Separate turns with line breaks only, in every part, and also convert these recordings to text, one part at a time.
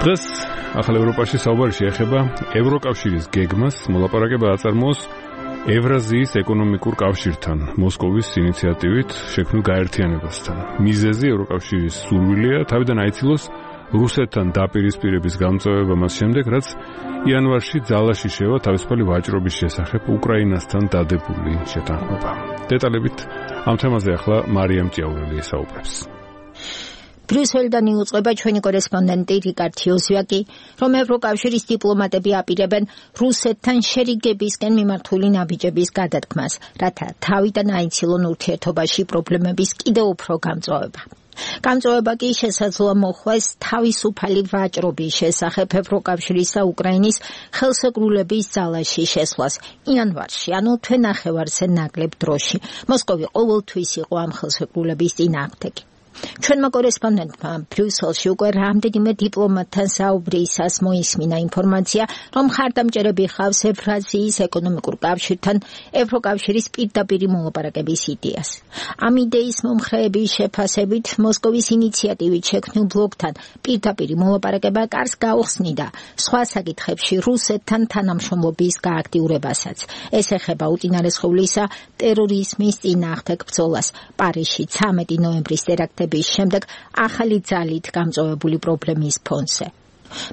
დღეს ახალ ევროპაში საუბარი შეეხება ევროკავშირის გეგმას მოლაპარაკება აწარმოოს ევრაზიის ეკონომიკურ კავშირთან, მოსკოვის ინიციატივით შექმნილ გაერთიანებასთან. მიზეზი ევროკავშირის სურვილია თავიდან აიცილოს რუსეთთან დაპირისპირების გამწვევება მას შემდეგ, რაც იანვარში ძალაში შევა თავისუფალი ვაჭრობის შესახებ უკრაინასთან დადებული შეთანხმება. დეტალებით ამ თემაზე ახლა მარიამ ჭიაურელი ესაუბრებს.
ბრიუსელიდან იუწყება ჩვენი კორესპონდენტი რიკარდ იოზვაკი, რომ ევროკავშირის დიპლომატები აპირებენ რუსეთთან შერიგებისკენ მიმართული ნაბიჯების გადადგმას, რათა თავიდან აიცილონ ურთიერთობაში პრობლემების კიდევ უფრო გამწვავება. გამწვავება კი შესაძლოა მოხვდეს თავისუფალი ვაჭრობის შესახებ ევროკავშირის და უკრაინის ხელსეკრულების ძალაში შესვლას იანვარში, ანუ თვენახევარზე ნაკლებ დროში. მოსკოვი ყოველთვის იყო ამ ხელსეკრულების წინააღმდეგი. ჩვენმა კორესპონდენტმა ბრიუსელში უკვე რამდენიმე დიპლომატთან საუბრისას მოისმინა ინფორმაცია, რომ მხარდამჭერები ხავს ევრაზიის ეკონომიკურ კავშირთან ევროკავშირის პირდაპირი მოლაპარაკების იდეას. ამ იდეის მომხრეების შეფასებით მოსკოვის ინიციატივით შექმნილ ბლოკთან პირდაპირი მოლაპარაკება კარს გაუხსნიდა სხვა საკითხებში რუსეთთან თანამშრომლობის გააქტიურებასაც. ეს ეხება უწინარესხევლისა ტერორიზმის წინააღმდეგ ბრძოლას პარიზში 13 ნოემბრის ტერაქტების შემდეგ ახალი ძალით გამწვავებული პრობლემის ფონზე.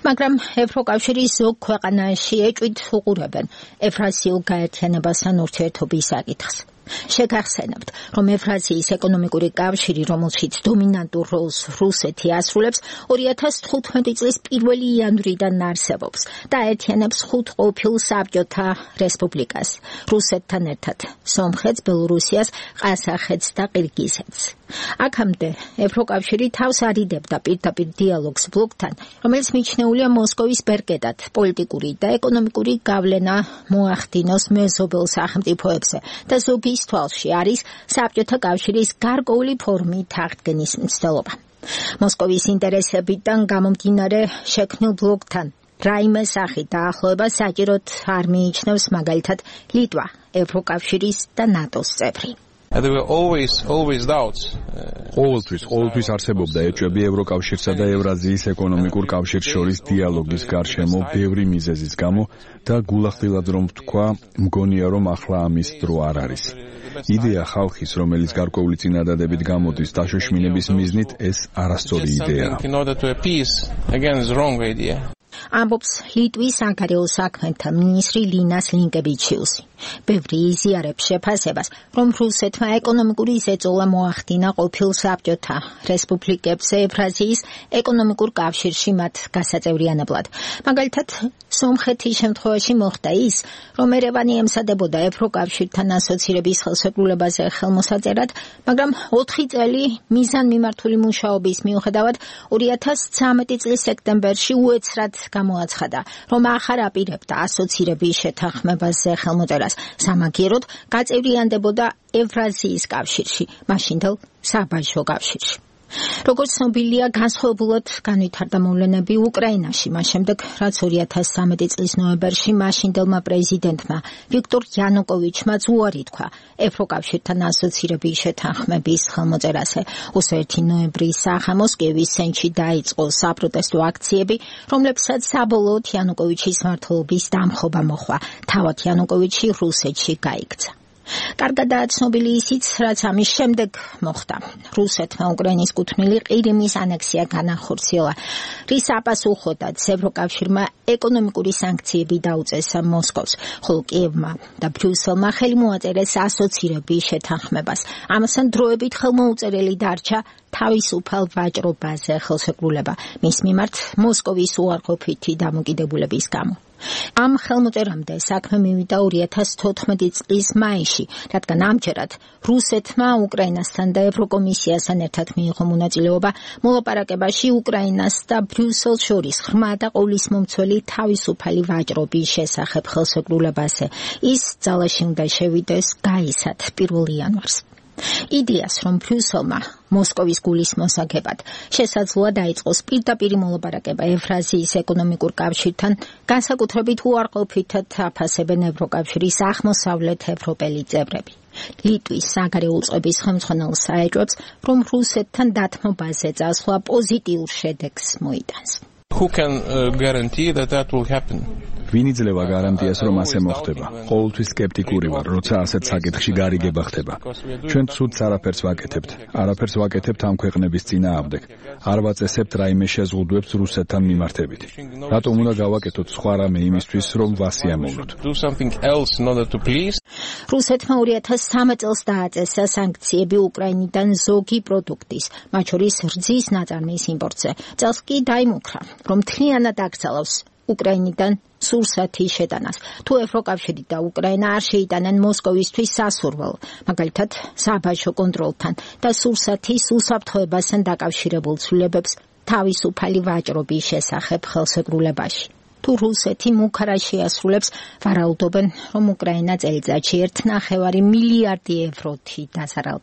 მაგრამ ევროკავშირის ზოგ ქვეყანაში ეჭვით უყურებენ ევრაზიულ გაერთიანებასთან ურთიერთობის საკითხს. შეგახსენებთ, რომ ევრაზიის ეკონომიკური კავშირი, რომელშიც დომინანტურ როლს რუსეთი ასრულებს, 2015 წლის 1 იანვრიდან არსებობს და აერთიანებს 5 ყოფილ საბჭოთა რესპუბლიკას, რუსეთთან ერთად სომხეთს, ბელორუსიას, ყაზახეთს და ყირგიზეთს. აქამდე ევროკავშირი თავს არიდებდა პირდაპირ დიალოგს ბლოკთან, რომელიც მიჩნეულია მოსკოვის ბერკეტად პოლიტიკური და ეკონომიკური გავლენა მოახდინოს მეზობელ სახელმწიფოებზე და ზოგი ის თვალში არის საბჭოთა კავშირის გარკვეული ფორმით აღდგენის მცდელობა. მოსკოვის ინტერესებიდან გამომდინარე შექმნილ ბლოკთან რაიმე სახით დაახლოება საჭიროდ არ მიიჩნევს მაგალითად ლიტვა, ევროკავშირის და ნატოს წევრი.
ყოველთვის არსებობდა ეჭვები ევროკავშირსა და ევრაზიის ეკონომიკურ კავშირს შორის დიალოგის გარშემო ბევრი მიზეზის გამო და გულახდილად რომ ვთქვა, მგონია რომ ახლა ამის დრო არ არის. იდეა ხალხის, რომელიც გარკვეული წინადადებით გამოდის დაშოშმინების მიზნით, ეს არასწორი იდეაა.
ამბობს ლიტვის საგარეო საქმეთა მინისტრი ლინას ლინკევიჩიუსი. ბევრი იზიარებს შეფასებას, რომ რუსეთმა ეკონომიკური ზეწოლა მოახდინა ყოფილ საბჭოთა რესპუბლიკებს ევრაზიის ეკონომიკურ კავშირში მათ გასაწევრიანებლად. მაგალითად, სომხეთის შემთხვევაში მოხდა ის, რომ ერევანი ემსადებოდა ევროკავშირთან ასოცირების ხელშეკრულებაზე ხელმოსაწერად, მაგრამ 4 წელი მიზანმიმართული მუშაობის მიუხედავად 2013 წლის სექტემბერში უეცრად გამოაცხადა, რომ ახარ აპირებდა ასოცირების შეთანხმებაზე ხელმოწერას, სამაგიეროდ გაწევრიანდებოდა ევრაზიის კავშირში, მაშინდელ საბაჟო კავშირში. როგორც ცნობილია, განსხვავებულად განვითარდა მოვლენები უკრაინაში, მას შემდეგ, რაც 2013 წლის ნოემბერში მაშინდელმა პრეზიდენტმა ვიქტორ იანუკოვიჩმა უარი თქვა ევროკავშირთან ასოცირების შეთანხმების ხელმოწერაზე. 21 ნოემბრის სახამოს კიევის ცენტრში დაიწყო საპროტესტო აქციები, რომლებსაც საბოლოოდ იანუკოვიჩის მმართველობის დამხობა მოჰყვა. თავად იანუკოვიჩი რუსეთში გაიქცა. კარგადაა ცნობილი ისიც, რაც ამის შემდეგ მოხდა. რუსეთმა უკრაინის კუთვნილი ყირიმის ანექსია განახორციელა, რის აპასუხოდაც ევროკავშირმა ეკონომიკური სანქციები დაუწესა მოსკოვს, ხოლო კიევმა და ბრიუსელმა ხელი მოაწერეს ასოცირების შეთანხმებას. ამასთან დროებით ხელმოუწერელი დარჩა თავისუფალ ვაჭრობაზე ხელშეკრულება მის მიმართ მოსკოვის უარყოფითი დამოკიდებულების გამო. ამ ხელმოწერამდე საქმე მივიდა 2014 წლის მაისში, რადგან ამჯერად რუსეთმა უკრაინასთან და ევროკომისიასთან ერთად მიიღო მონაწილეობა მოლაპარაკებაში უკრაინას და ბრიუსელს შორის ღრმა და ყოვლისმომცველი თავისუფალი ვაჭრობის შესახებ ხელშეკრულებაზე. ის ძალაში უნდა შევიდეს გაისად 1 იანვარს. იდეას, რომ ბრიუსელმა მოსკოვის გულის მოსაგებად შესაძლოა დაიწყოს პირდაპირი მოლაპარაკება ევრაზიის ეკონომიკურ კავშირთან, განსაკუთრებით უარყოფითად აფასებენ ევროკავშირის აღმოსავლეთ ევროპელი წევრები. ლიტვის საგარეო უწყების ხელმძღვანელს აეჭვებს, რომ რუსეთთან დათმობაზე წასვლა პოზიტიურ შედეგს მოიტანს.
Who can guarantee that will happen?
ვინ იძლევა გარანტიას, რომ ასე მოხდება? ყოველთვის სკეპტიკური ვარ, როცა ასეთ საკითხში გარიგება ხდება. ჩვენ ცუდს არაფერს ვაკეთებთ. არაფერს ვაკეთებთ ამ ქვეყნების წინააღმდეგ. არ ვაწესებთ რაიმე შეზღუდვებს რუსეთთან მიმართებით. რატომ უნდა გავაკეთოთ სხვა რამე იმისთვის, რომ ვასიამოვნოთ?
რუსეთმა 2013 წელს დააწესა სანქციები უკრაინიდან ზოგი პროდუქტის, მათ შორის რძის ნაწარმის იმპორტზე. წელს კი დაიმუქრა, რომ მთლიანად აკრძალავს უკრაინიდან სურსათის შეტანას. თუ ევროკავშირი და უკრაინა არ შეიტანენ მოსკოვისთვის სასურველ, მაგალითად საბაჟო კონტროლთან და სურსათის უსაფრთხოებასთან დაკავშირებულ ცვლილებებს თავისუფალი ვაჭრობის შესახებ ხელშეკრულებაში. თუ რუსეთი მუქარას შეასრულებს, ვარაუდობენ, რომ უკრაინა წელიწადში 1,5 მილიარდი ევროთი დასარალ